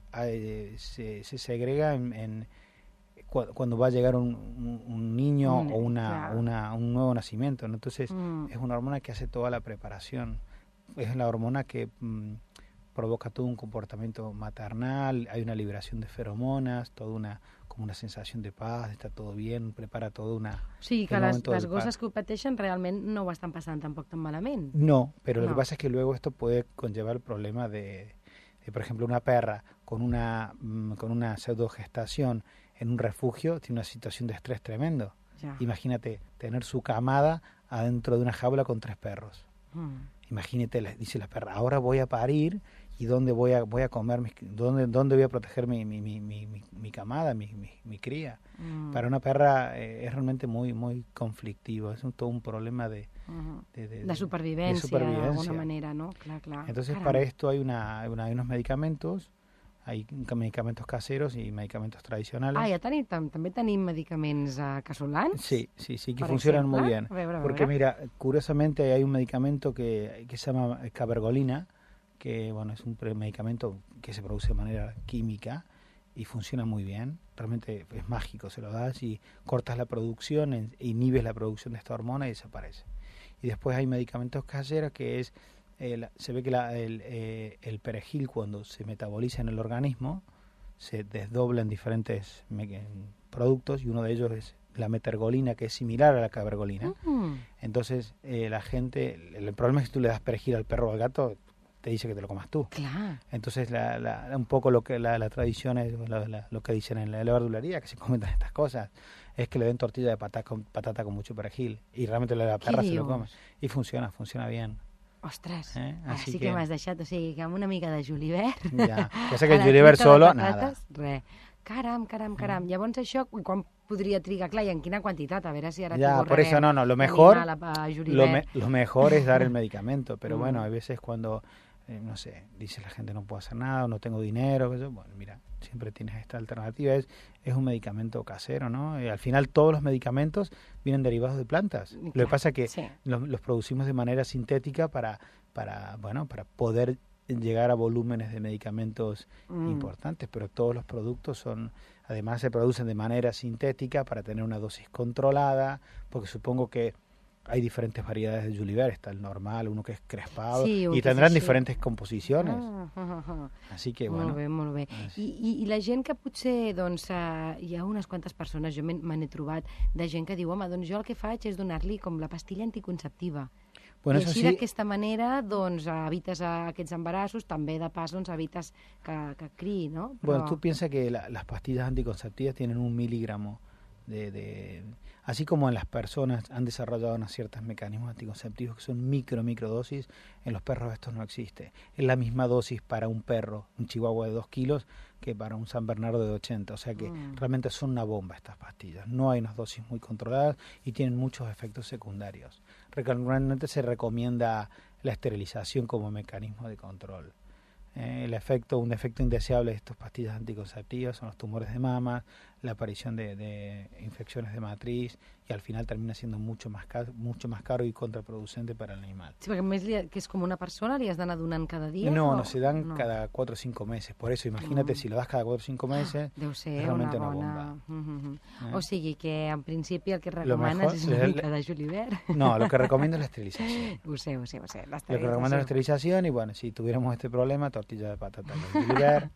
Speaker 6: se segrega cuando va a llegar un niño o un nuevo nacimiento, ¿no? Entonces es una hormona que hace toda la preparación. Es la hormona que provoca todo un comportamiento maternal, hay una liberación de feromonas, como una sensación de paz, está todo bien, prepara todo una...
Speaker 2: O sigui que les gosses que ho pateixen realment no ho estan passant tampoc tan malament.
Speaker 6: No, pero lo que pasa es que luego esto puede conllevar el problema de por ejemplo, una perra con una pseudogestación en un refugio tiene una situación de estrés tremendo.
Speaker 2: Ya.
Speaker 6: Imagínate tener su camada adentro de una jaula con 3 perros. Imagínate, dice la perra, ahora voy a parir, y dónde voy a comer, dónde voy a proteger mi camada, mi cría. Para una perra es realmente muy muy conflictivo, es todo un problema de
Speaker 2: supervivencia de alguna manera, ¿no? Clar.
Speaker 6: Entonces para esto hay unos medicamentos, hay medicamentos caseros y medicamentos tradicionales.
Speaker 2: També tenim medicaments casolans?
Speaker 6: Sí, que funcionan muy bien.
Speaker 2: A veure.
Speaker 6: Porque mira, curiosamente hay un medicamento que se llama cabergolina, que es un medicamento que se produce de manera química y funciona muy bien. Realmente es mágico, se lo das y cortas la producción, inhibes la producción de esta hormona y desaparece. Y después hay medicamentos caseros que se ve que el perejil, cuando se metaboliza en el organismo, se desdobla en diferentes productos, y uno de ellos es la metergolina, que es similar a la cabergolina. Entonces el problema es que tú le das perejil al perro o al gato, te dice que te lo comas tú.
Speaker 2: Clar.
Speaker 6: Entonces, un poco lo que la tradición es, lo que dicen en la verdulería, que se comentan estas cosas, es que le den tortilla de patata con mucho perejil. Y realmente la perra se lo come. Y funciona bien.
Speaker 2: Ostres,
Speaker 6: Así
Speaker 2: sí que m'has deixat, o sigui, que amb una mica de julivert...
Speaker 6: Ja sé que el julivert solo, nada.
Speaker 2: Res. Caram. Llavors això, quan podria trigar? Clar, i en quina quantitat? A veure si ara
Speaker 6: ya, por eso no, lo mejor es dar el medicamento, pero bueno, hay veces cuando, no sé, dice la gente no puedo hacer nada, o no tengo dinero, bueno, mira, siempre tienes esta alternativa, es un medicamento casero, ¿no? Y al final todos los medicamentos vienen derivados de plantas. Lo que pasa es que los producimos de manera sintética para poder llegar a volúmenes de medicamentos importantes, pero todos los productos además se producen de manera sintética para tener una dosis controlada, porque supongo que hay diferentes variedades de julivert, está el normal, uno que es crespado, y tendrán diferentes composiciones. Així que, bueno...
Speaker 2: Molt bé. I la gent que potser, doncs, hi ha unes quantes persones, jo me n'he trobat, de gent que diu, home, doncs jo el que faig és donar-li com la pastilla anticonceptiva.
Speaker 6: Bueno,
Speaker 2: I així d'aquesta manera doncs, evites aquests embarassos, també de pas doncs, evites que criï, no?
Speaker 6: Però... Bueno, tú piensas que las pastillas anticonceptivas tienen 1 miligramo así como en las personas han desarrollado unos ciertos mecanismos anticonceptivos que son microdosis, en los perros esto no existe. Es la misma dosis para un perro, un chihuahua de 2 kilos, que para un San Bernardo de 80. O sea que realmente son una bomba estas pastillas. No hay unas dosis muy controladas y tienen muchos efectos secundarios. Realmente se recomienda la esterilización como mecanismo de control. Un efecto indeseable de estas pastillas anticonceptivas son los tumores de mama, la aparición de infecciones de matriz, y al final termina siendo mucho más caro y contraproducente para el animal.
Speaker 2: Sí, perquè més que és com una persona, li has d'anar donant cada dia?
Speaker 6: No, se dan cada 4 o 5 meses. Por eso, imagínate, si lo das cada 4 o 5 meses,
Speaker 2: deu ser
Speaker 6: realmente
Speaker 2: una
Speaker 6: bomba.
Speaker 2: O sigui que, en principi, el que recomanes és una mica de julivert.
Speaker 6: No, lo que recomiendo es la esterilización.
Speaker 2: Ho sé.
Speaker 6: Lo que recomiendo es la esterilización, y bueno, si tuviéramos este problema, tortilla de patata con julivert.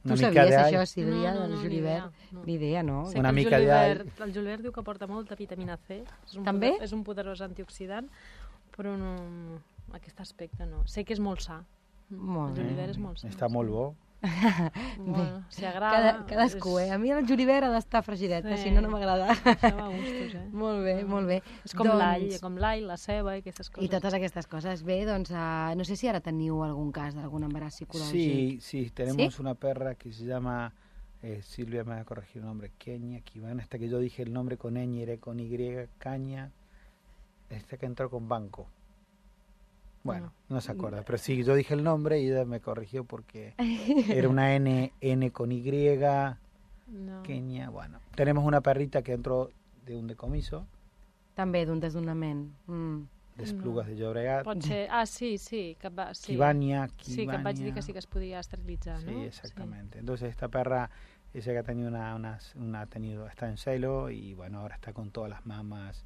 Speaker 2: Tu sabies això, Sílvia, del julivert? Ni idea, no?
Speaker 5: Sé una mica el julivert diu que porta molta vitamina C.
Speaker 2: També?
Speaker 5: És un poderós antioxidant, però no, aquest aspecte no. Sé que és molt sa. El julivert és molt sa.
Speaker 6: Està molt bo.
Speaker 5: Bueno, si agrada...
Speaker 2: Cadascú, A mi el julivert ha d'estar fregidet, si no m'agrada.
Speaker 5: Això va a gustos,
Speaker 2: Molt bé.
Speaker 5: És com l'all, la ceba i aquestes coses.
Speaker 2: I totes aquestes coses. Bé, doncs, no sé si ara teniu algun cas d'algun embaràs psicològic.
Speaker 6: Sí, tenemos una perra que se llama, Silvia me va a corregir el nombre, Kenia, Kivana, hasta que yo dije el nombre con ñ, era con Y, Caña, esta que entró con banco. Bueno, no se acuerda, pero sí, yo dije el nombre y ella me corrigió porque era una N con Y, Kenia, bueno. Tenemos una perrita que entró de un decomiso.
Speaker 2: També d'un desnonament.
Speaker 6: D'Esplugues de Llobregat.
Speaker 5: Pot ser, sí.
Speaker 6: Kivania.
Speaker 5: Sí, que em vaig dir que sí que es podia esterilitzar, ¿no?
Speaker 6: Sí, exactamente. Sí. Entonces esta perra, ella que ha tenido está en celo y bueno, ahora está con todas las mamas.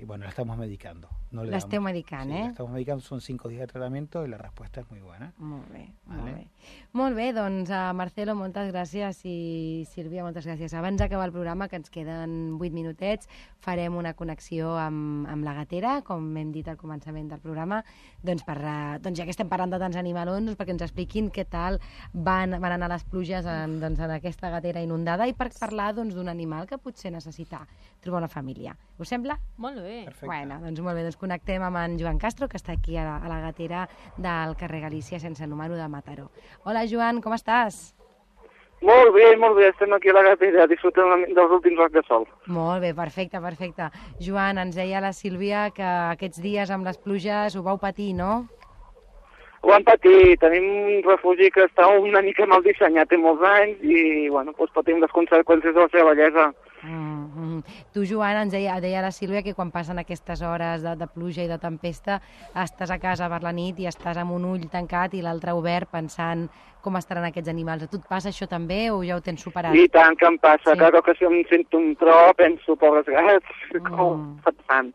Speaker 6: Bueno, la estamos medicando.
Speaker 2: La esteu medicant,
Speaker 6: La estamos medicando, son 5 días de tratamiento y la respuesta es muy buena.
Speaker 2: Molt bé. Molt bé, doncs Marcelo, moltes gràcies, i Sílvia, moltes gràcies. Abans d'acabar el programa, que ens queden 8 minutets, farem una connexió amb la gatera, com hem dit al començament del programa, doncs ja que estem parlant de tants animalons, perquè ens expliquin què tal van anar les pluges en aquesta gatera inundada, i per parlar d'un animal que potser necessita trobar una família. Us sembla?
Speaker 5: Molt bé.
Speaker 6: Perfecte.
Speaker 2: Bueno, doncs molt bé, doncs connectem amb en Joan Castro, que està aquí a la gatera del carrer Galícia sense número de Mataró. Hola, Joan, com estàs?
Speaker 10: Molt bé, estem aquí a la gatera disfrutant dels últims racs de sol.
Speaker 2: Molt bé, perfecte. Joan, ens deia la Sílvia que aquests dies amb les pluges ho vau patir, no?
Speaker 10: Ho vam patir, tenim un refugi que està una mica mal dissenyat, té molts anys, i bueno, doncs patim les conseqüències de la seva bellesa.
Speaker 2: Tu, Joan, ens deia la Sílvia que quan passen aquestes hores de pluja i de tempesta estàs a casa per la nit i estàs amb un ull tancat i l'altre obert pensant com estaran aquests animals. A tu et passa això també o ja ho tens superat?
Speaker 10: I tant que em passa, cada ocasió em sento un tro, penso, pobres gats, com et fan.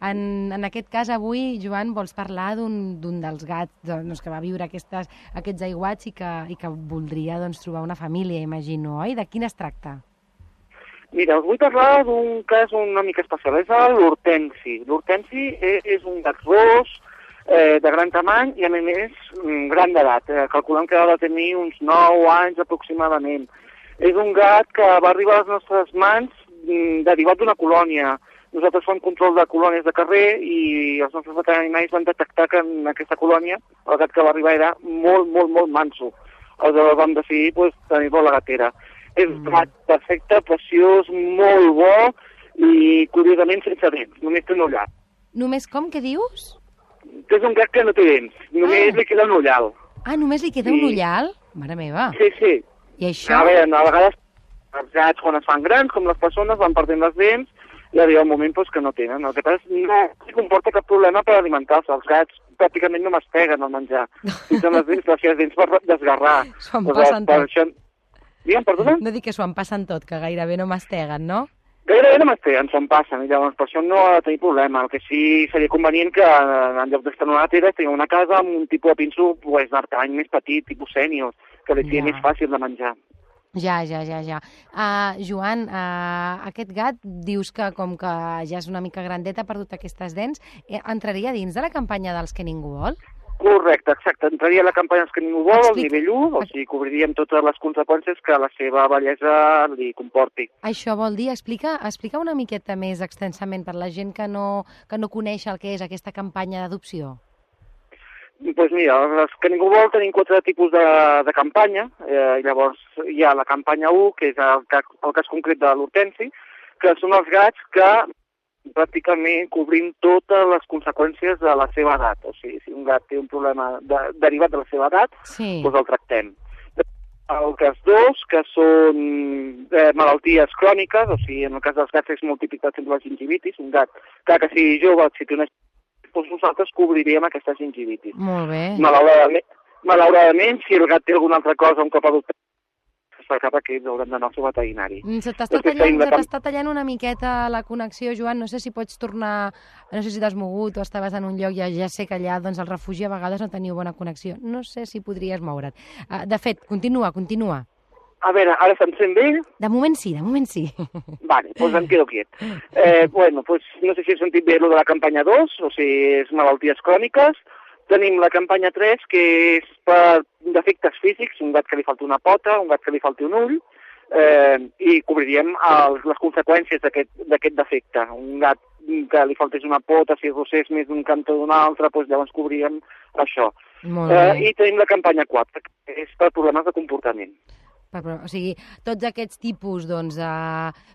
Speaker 2: En aquest cas avui, Joan, vols parlar d'un dels gats que va viure aquests aiguats i que voldria trobar una família, imagino, oi? De quin es tracta?
Speaker 10: Mira, us vull parlar d'un cas una mica especial, és l'Hortensi. L'Hortensi és un gat ros, de gran tamany i, a més, gran d'edat. Calculem que ha de tenir uns 9 anys aproximadament. És un gat que va arribar a les nostres mans derivat d'una colònia. Nosaltres fem control de colònies de carrer i els nostres veterinaris van detectar que en aquesta colònia el gat que va arribar era molt, molt, molt manso. Aleshores vam decidir tenir-lo a la gatera. És un gat perfecte, preciós, molt bo i curiosament sense dents, només té un ullat.
Speaker 2: Només com, què dius?
Speaker 10: És un gat que no té dents, només li queda un ullal.
Speaker 2: Ah, només li queda un ullal? Mare meva.
Speaker 10: Sí, sí.
Speaker 2: I això?
Speaker 10: A veure, a vegades els gats quan es fan grans, com les persones, van perdent les dents i arriba un moment que no tenen. El que passa és que no comporta cap problema per alimentar-se. Els gats pràcticament no masteguen al menjar. Utilitzen les seves dents per desgarrar.
Speaker 2: S'ho en passen tot.
Speaker 10: Això... Digue'm, perdona?
Speaker 2: No dic que s'ho en passen tot, que gairebé no masteguen, no?
Speaker 10: Gairebé no masteguen, s'ho en passen, i llavors per això no ha de tenir problema. El que sí seria convenient que en lloc d'estar en una gatera tinguem una casa amb un tipus de pinso d'artany més petit, tipus sènior, que li sigui més fàcil de menjar.
Speaker 2: Ja. Joan, aquest gat dius que com que ja és una mica grandet, ha perdut aquestes dents, entraria dins de la campanya dels que ningú vol?
Speaker 10: Correcte, exacte. Entraria a la campanya dels que ningú vol, al nivell 1, o sigui, cobriríem totes les conseqüències que la seva bellesa li comporti.
Speaker 2: Això vol dir, explica una miqueta més extensament per la gent que no coneix el que és aquesta campanya d'adopció.
Speaker 10: Doncs mira, els que ningú vol tenim 4 tipus de campanya. Llavors hi ha la campanya 1, que és el cas concret de l'Hortensi, que són els gats que pràcticament cobrim totes les conseqüències de la seva edat. O sigui, si un gat té un problema derivat de la seva edat, doncs el tractem. El cas 2, que són malalties cròniques, o sigui, en el cas dels gats és molt típic, per exemple, la gingivitis. Un gat que sigui jove, si té una doncs nosaltres cobriríem aquesta gingivitis.
Speaker 2: Molt bé.
Speaker 10: Malauradament, si el gat té alguna altra cosa, un cop adoptat, cap aquí haurem d'anar al seu veterinari.
Speaker 2: Se t'està tallant una miqueta la connexió, Joan. No sé si pots tornar... No sé si t'has mogut o estaves en un lloc, ja sé que allà doncs, al refugi a vegades no teniu bona connexió. No sé si podries moure't. De fet, continua.
Speaker 10: A veure, ara se'm sent bé?
Speaker 2: De moment sí.
Speaker 10: Vale, doncs em quedo quiet. No sé si he sentit bé lo de la campanya 2, o sigui, és malalties cròniques. Tenim la campanya 3, que és per defectes físics, un gat que li falta una pota, un gat que li falta un ull, i cobriríem les conseqüències d'aquest defecte. Un gat que li faltés una pota, si rossés més d'un cantó d'un altre, doncs llavors cobríem això. I tenim la campanya 4, que és per problemes de comportament.
Speaker 2: O sigui, tots aquests tipus de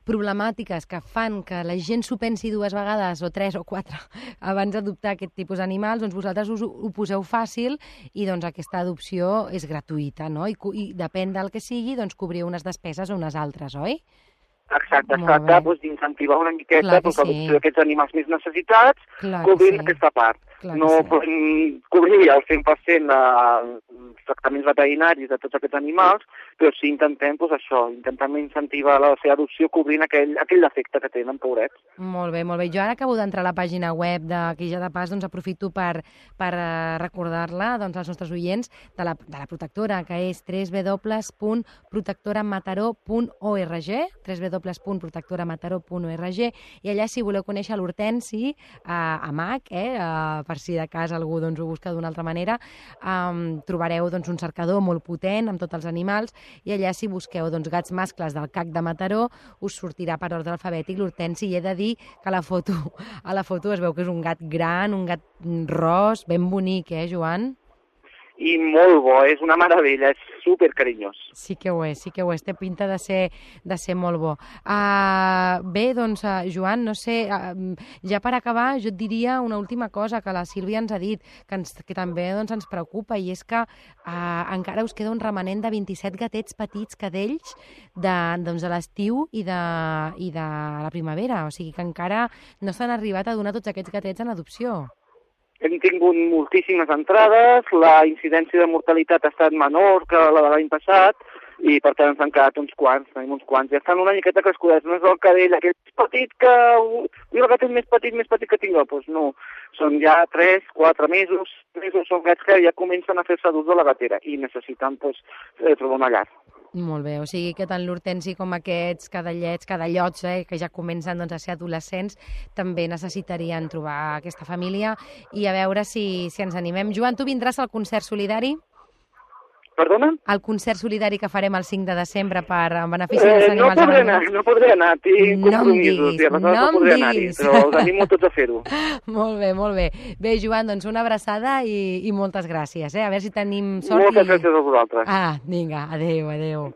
Speaker 2: problemàtiques que fan que la gent s'ho pensi 2 vegades, o 3 o 4, abans d'adoptar aquest tipus d'animals, doncs vosaltres ho poseu fàcil i doncs aquesta adopció és gratuïta, no? I depèn del que sigui, doncs cobriu unes despeses o unes altres, oi?
Speaker 10: Exacte, d'incentivar una miqueta l'adopció d'aquests animals més necessitats, cobrint aquesta part. No podem cobrir al 100% els tractaments veterinaris de tots aquests animals, però sí intentem incentivar la seva adopció cobrint aquell defecte que tenen, pobrets.
Speaker 2: Molt bé. Jo ara acabo d'entrar a la pàgina web d'aquí ja de pas, doncs aprofito per recordar-la als nostres oients de la protectora, que és www.protectoramataró.org, www.protectoramataró.org, i allà, si voleu conèixer l'Hortensi, a Mac, per si de cas algú ho busca d'una altra manera, trobareu un cercador molt potent amb tots els animals, i allà, si busqueu gats mascles del CAC de Mataró, us sortirà per ordre alfabètic l'Hortensi, i he de dir que a la foto es veu que és un gat gran, un gat ros, ben bonic, Joan?
Speaker 10: I molt bo, és una meravella, és supercarinyós.
Speaker 2: Sí que ho és, té pinta de ser molt bo. Bé, doncs, Joan, no sé, ja per acabar, jo et diria una última cosa que la Sílvia ens ha dit, que també ens preocupa, i és que encara us queda un remanent de 27 gatets petits, cadells, de l'estiu i de la primavera, o sigui que encara no s'han arribat a donar tots aquests gatets en adopció.
Speaker 10: Hem tingut moltíssimes entrades, la incidència de mortalitat ha estat menor que la de l'any passat, i per tant ens han quedat uns quants, ja estan una miqueta crescudets, no és el cadell aquell petit que... el gat és més petit que tinc, doncs no, són ja 3, 4 mesos, són gats que ja comencen a fer-se adults de la gatera i necessiten trobar una llar.
Speaker 2: Molt bé, o sigui que tant l'Hortensi com aquests cadallots, que ja comencen a ser adolescents, també necessitarien trobar aquesta família i a veure si ens animem. Joan, tu vindràs al concert solidari?
Speaker 10: Perdona?
Speaker 2: El concert solidari que farem el 5 de desembre en benefici dels animals abandonats.
Speaker 10: No podré anar, tinc compromisos, i aleshores no podré anar-hi, però us animo tots a fer-ho.
Speaker 2: Molt bé, molt bé. Bé, Joan, doncs una abraçada i moltes gràcies. A veure si tenim sort.
Speaker 10: Moltes gràcies a vosaltres.
Speaker 2: Vinga, adéu.
Speaker 10: Adéu.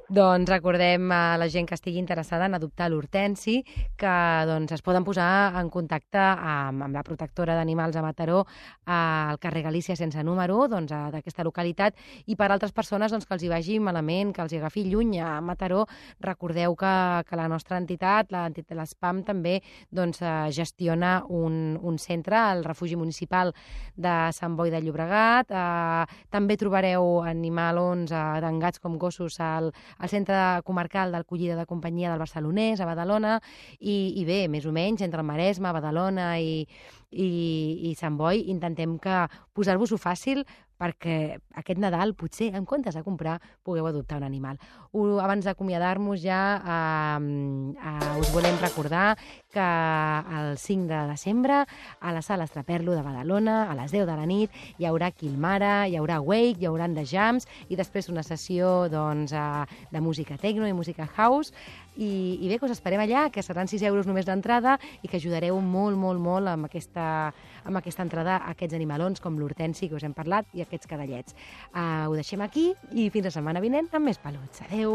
Speaker 2: Doncs recordem a la gent que estigui interessada en adoptar l'Hortensi que es poden posar en contacte amb la protectora d'animals a Mataró al carrer Galícia sense número d'aquesta localitat. I per altres persones que els hi vagi malament, que els hi agafi lluny a Mataró, recordeu que la nostra entitat, l'entitat de l'ESPAM, també gestiona un centre, el refugi municipal de Sant Boi de Llobregat. També trobareu animalons, tant gats com gossos, al centre comarcal d'acollida de companyia del Barcelonès, a Badalona, i bé, més o menys, entre el Maresme, Badalona i Sant Boi, intentem posar-vos-ho fàcil perquè aquest Nadal, potser, en comptes de comprar, pugueu adoptar un animal. Abans d'acomiadar-nos ja, us volem recordar que el 5 de desembre a la sala Estraperlo de Badalona, a les 10 de la nit, hi haurà Quilmara, hi haurà Wake, hi haurà The Jams, i després una sessió de música techno i música house. I bé, que us esperem allà, que seran 6 euros només d'entrada i que ajudareu molt, molt, molt amb aquesta entrada a aquests animalons com l'Hortensi, que us hem parlat, i aquests cadallets. Ho deixem aquí i fins la setmana vinent amb més peluts. Adéu!